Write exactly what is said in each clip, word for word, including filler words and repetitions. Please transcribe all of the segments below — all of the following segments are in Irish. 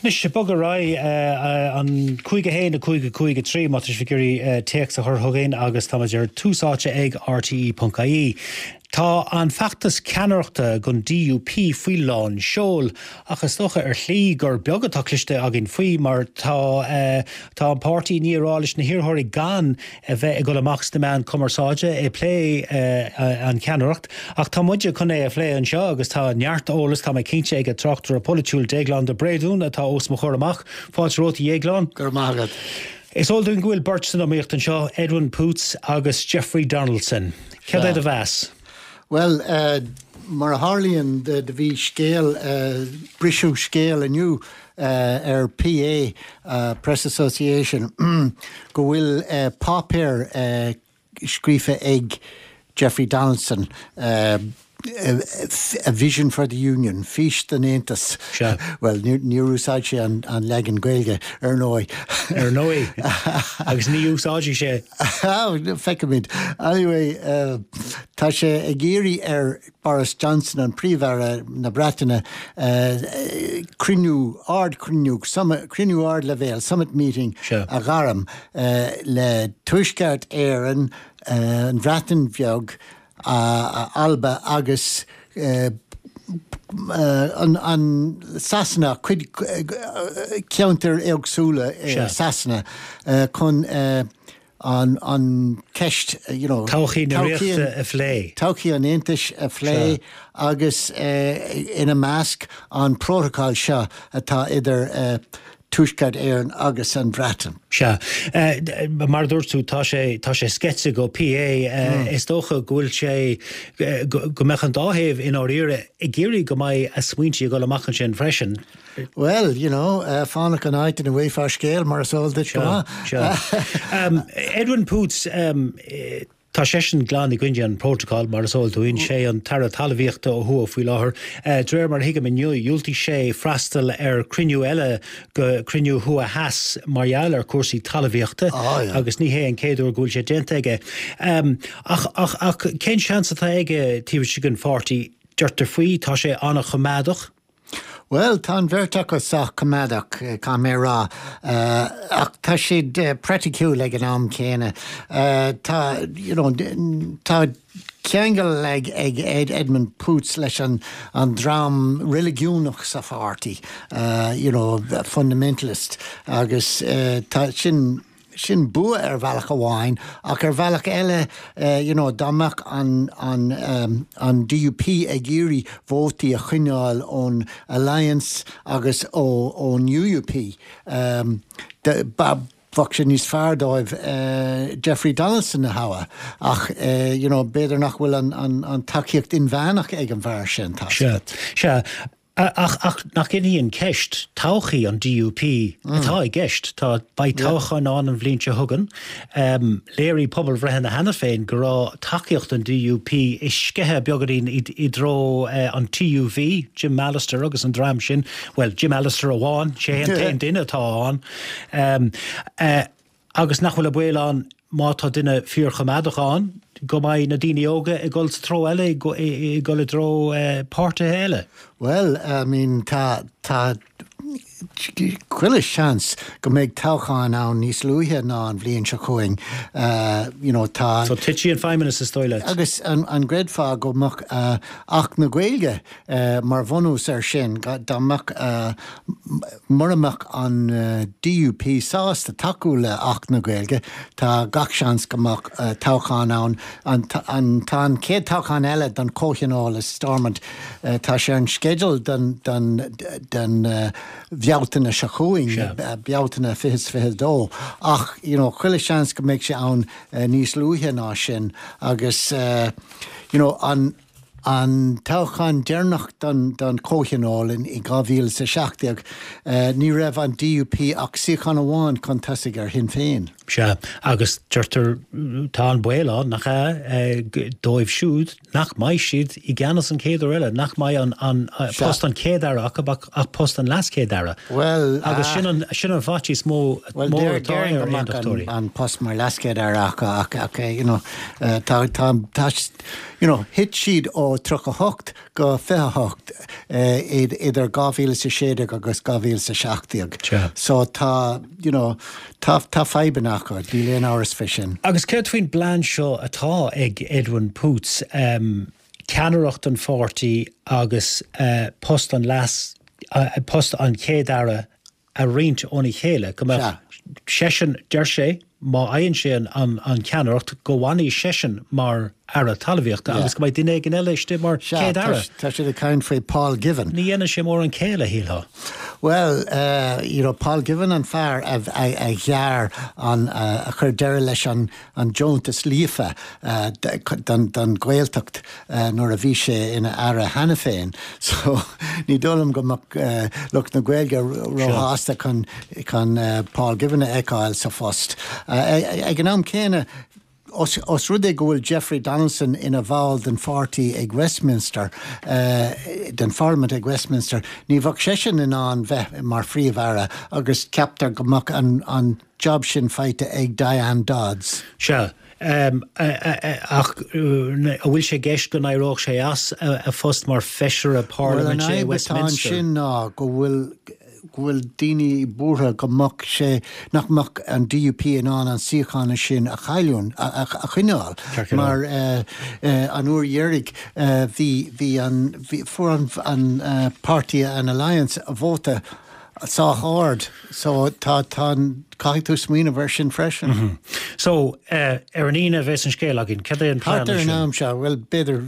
Anois bog ar aghaidh an cúig a haon a cúig a cúig a trí má tá sibh ag iarraidh téacs a chur chugainn agus táimid ar Tús Áite ag RTE.ie. Tá an feachtas ceannaireachta don DUP faoi lán seoil ach is dócha ar shlí gur beag atá cloiste againn faoi mar tá uh, tá an páirtí ní rá leis na hiarrthóirí gan a bheith ag dul amach sna meáin cumarsáide ag plé uh, an cheannaireacht ach tá muide chun é a phlé anseo agus tá neart eolas tá mé cinnte ag an tráchtaire polaitiúil Déaglán de Bréadún atá os mo chomhair amach fáilte romhat a Dhéagláin. Gur mágad. Is eol dúinn go bhfuil beirt san iomaíocht anseo Edwin Poots agus Jeffrey Donaldson. Cad é do mheas? Well, uh, mar a tharlaíonn do bhí scéal uh, briseadh scéal inniu uh, ar PA uh, Press Association go bhfuil uh, páipéar uh, scríofa ag Jeffrey Donaldson uh, a vision for the union, fís don Aontas. Well, níor úsáid sé an, an leagan Gaeilge ar ndóigh. Ar ndóigh agus ní úsáidfidh sé. Feicfimid. Anyway, uh, tá sé ag iarraidh ar Boris Johnson an Príomh-Aire na Breataine uh, cruinniú ardchruinniú cruinniú ardleibhéil summit meeting a ghairm uh, le Tuaisceart Éireann uh, an Bhreatain Bheag, uh, Alba agus uh, uh, an, an Sasana cuid ceantar éagsúla uh, Sasana uh, chun uh, an, an ceist you know, Todhchaí na ríochta a phlé. Todhchaí an Aontais a phlé agus uh, ina measc an protocol seo atá idir uh, Tuaisceart Éireann agus an Bhreatain. Sea uh, mar dúirt tú tá sé tá sé sceite go PA uh, mm. is dócha go bhfuil sé uh, go mbeadh an dá thaobh in áirithe ag iarraidh go mbeidh a smaointe ag dul amach ansin freisin. Well, you know, uh, fánach an áit ina bhfaighfeá scéal mar is eol duit go um, Edwin Poots um, Tá seisean glan i gcoinne an protocol mar is eol dúinn sé an tAire Talmhaíochta ó thuaidh faoi láthair. Uh, de réir mar thuigim inniu dhiúltaigh sé freastal ar cruinniú eile go cruinniú thuaidh theas mar gheall ar cúrsaí talmhaíochta oh, yeah. agus ní hé an chéad uair go bhfuil sé déanta aige. Um, ach, ach, ach cén seans atá aige taobh istigh den pháirtí deirtear faoi tá sé an-choimeádach. Well, tá an bheirt acu sách coimeádach caithfidh mé rá uh, ach tá siad uh, praiticiúil ag an am céanna. Uh, tá you know, tá ceangal ag ag Ed Edmund Poots leis an an dream reiligiúnach sa pháirtí, uh, you know, fundamentalist agus uh, tá sin sin bua ar bhealach amháin ach ar bhealach eile uh, you know, dá mbeadh an, an, um, an DUP ag iarraidh vótaí a choinneáil ón Alliance agus ó ón UUP. Um, de, ba, bheadh sé níos fearr dóibh uh, Jeffrey Donaldson a thoghadh ach uh, you know, b'fhéidir nach bhfuil an, an, an tacaíocht inmheánach ag an bhfear sin tá. Sea ach ach nach í an ceist todhchaí an DUP mm. atá i gceist tá beidh toghchán ann an bhliain seo chugainn. Um, léirigh pobalbhreitheanna cheana féin go raibh tacaíocht an DUP ag sceitheadh beagáinín i, i dtreo uh, an TUV, Jim Allister agus an dream sin, well Jim Allister amháin sé an t-aon duine atá ann. Um, uh, agus nach bhfuil a baol ann má tá duine fíorchoimeádach ann, go mbeidh na daoine óga ag dul sa treo eile ag dul i dtreo uh, páirtithe eile. Well, I mean tá tá chuile seans go mbeidh toghchán ann níos luaithe ná an bhliain seo chugainn. Uh, you know, tá So titfidh an feidhmeannas is dóigh leat. Agus an, an gcreidfeá go mbeadh uh, Acht na Gaeilge uh, mar bhunús ar sin dá mbeadh uh, mura mbeadh an uh, DUP sásta tacú le Acht na Gaeilge tá gach seans go mbeadh uh, toghchán ann an, an tá an chéad toghchán eile don Chomhthionól i Stormont uh, tá sé an sceideal den, den, den uh, Bhealtaine seo chugainn Bealtaine fiche fiche dó ach you know, chuile seans go mbeidh sé ann uh, níos luaithe ná sin agus uh, you know, an an toghchán deireanach don, don Chomhthionól in i dhá mhíle sa seacht déag uh, ní raibh an DUP ach suíochán amháin chun tosaigh ar Shinn Féin. Sea agus deirtear tá an baol ann nach é dóibh siúd nach mbeidh siad i gceannas an chéad uair eile, nach mbeidh an, an post an chéad aire ach ach post an leaschéad aire. Well agus sin an sin an faitíos mó mór atá ar aontachtóirí. an post mar leaschéad aire ach ach ach you know, uh, tá tá tá you know, thit siad ó ó tríocha a hocht go fiche a hocht idir dhá mhíle is a sé déag agus dhá mhíle is a seacht déag. So tá, you know, tá tá fadhbanna acu, níl aon amhras fé sin. Agus céard faoin bplean seo atá ag Edwin Poots, ceannaireacht an pháirtí agus post an leas, post an Chéad-Aire a roinnt óna chéile, go mbeadh seisean, deir sé, má fhaigheann sé an cheannaireacht, go bhfanfaidh seisean mar Aire Talmhaíochta agus go mbeidh duine éigin eile istigh mar Chéad-Aire. Tá siad ag caint faoi Paul Givan. Ní dhéanann sé mórán céille, shílfeá. Bhuel, you know, Paul Givan an fear a ghearr an, a chuir deireadh leis an deontas Líofa don Ghaeltacht nuair a bhí sé ina Aire cheana féin. So, ní dóigh liom go mbeadh lucht na Gaeilge róshásta chun Paul Givan a fheiceáil sa phost. Ag an am céanna, os rud é go bhfuil Jeffrey Donaldson ina bhall den pháirtí ag Westminster, den pharlaimint ag Westminster, ní bheadh seisean in ann bheith mar Phríomh-Aire agus ceaptar go mbeadh an job sin faighte ag Diane Dodds. Sea. Ach an bhfuil sé i gceist go n-éireodh sé as a phost mar Feisire Parlaiminte i Westminster? Bhuel, an fhadhb atá ansin ná go bhfuil go bhfuil daoine buartha go mbeadh sé, nach mbeadh an DUP in ann an suíochán sin a chailliúint, a choinneáil mar an uair dheiridh bhí, bhí an, bhí, fuair an, an páirtí an Alliance vóta sách ard so tá, tá an, caithfidh tú smaoineamh air sin freisin. So, ar an Aoine a bheas an scéal againn. Cad é an plean Thart ar an ansin? am seo, bhuel, b'fhéidir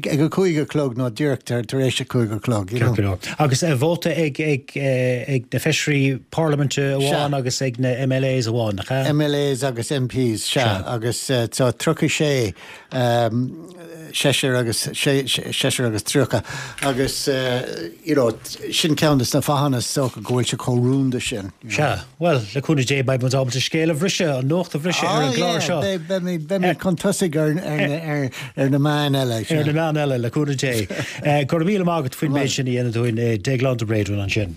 ag a cúig a chlog nó díreach tar éis a cúig a chlog, you know. Ceart go leor. Agus vóta ag, ag, ag na feisirí parlaiminte Sea. amháin agus ag na MLAs amháin, nach ea? MLAs agus MPs, sea. Sea. Agus so tríocha sé, seisear agus seisear agus tríocha agus you know sin ceann de na fáthanna is dócha go bhfuil sé chomh rúnda sin. Sea, bhuel, le cúnamh Dé beidh muid ábalta scéal a bhriseadh, an nuacht a bhriseadh ar an gclár seo. Ah yeah, beidh beimid chun tosaigh ar ar ar na meáin eile. Ar na meáin eile, le cúnamh Dé. Go raibh míle maith agat faoin méid sin a dhéanamh dúinn, Déaglán de Bréadún ansin.